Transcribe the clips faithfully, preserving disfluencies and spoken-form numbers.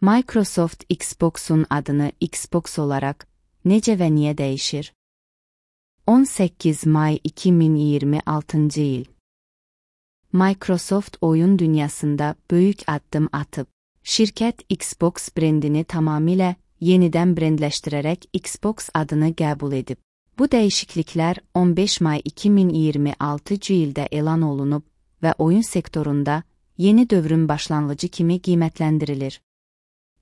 Microsoft Xbox'un adını Xbox olarak necə və niyə dəyişir? on səkkiz may iki min iyirmi altıncı il. Microsoft oyun dünyasında böyük addım atıb. Şirkət Xbox brendini tamamilə yenidən brendləşdirərək Xbox adını qəbul edib. Bu dəyişikliklər on beş may iki min iyirmi altıncı ildə elan olunub və oyun sektorunda yeni dövrün başlanğıcı kimi qiymətləndirilir.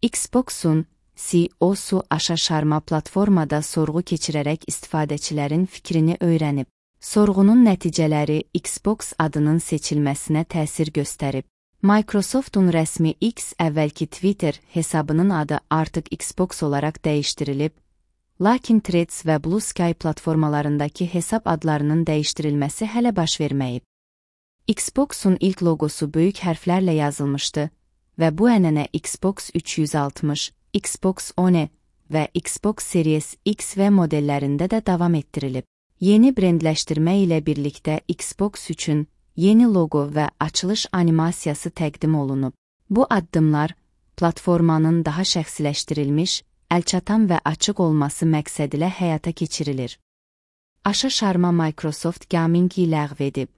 Xbox'un C E O'su Aşa Sharma platformada sorğu keçirərək istifadəçilərin fikrini öyrənib. Sorğunun nəticələri Xbox adının seçilməsinə təsir göstərib. Microsoft'un rəsmi X əvvəlki Twitter hesabının adı artıq Xbox olaraq dəyişdirilib, lakin Threads və Blue Sky platformalarındakı hesab adlarının dəyişdirilməsi hələ baş verməyib. Xbox'un ilk logosu böyük hərflərlə yazılmışdı və bu ənənə Xbox üç yüz altmış, Xbox One və Xbox Series X və modellərində də davam etdirilib. Yeni brendləşdirmə ilə birlikdə Xbox üçün yeni logo və açılış animasiyası təqdim olunub. Bu addımlar platformanın daha şəxsiləşdirilmiş, əlçatan və açıq olması məqsədilə həyata keçirilir. Aşa Sharma Microsoft Gaming-i ləğv edib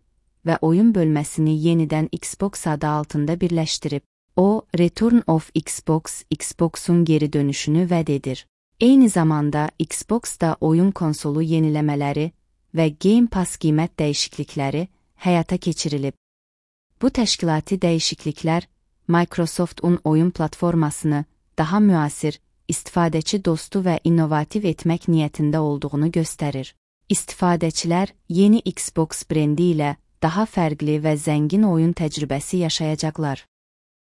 və oyun bölməsini yenidən Xbox adı altında birləşdirib. O, Return of Xbox, Xbox'un geri dönüşünü vəd edir. Eyni zamanda Xbox'da oyun konsolu yeniləmələri və Game Pass qiymət dəyişiklikləri həyata keçirilib. Bu təşkilati dəyişikliklər Microsoft'un oyun platformasını daha müasir, istifadəçi dostu və innovativ etmək niyyətində olduğunu göstərir. İstifadəçilər yeni Xbox brendi ilə daha fərqli və zəngin oyun təcrübəsi yaşayacaqlar.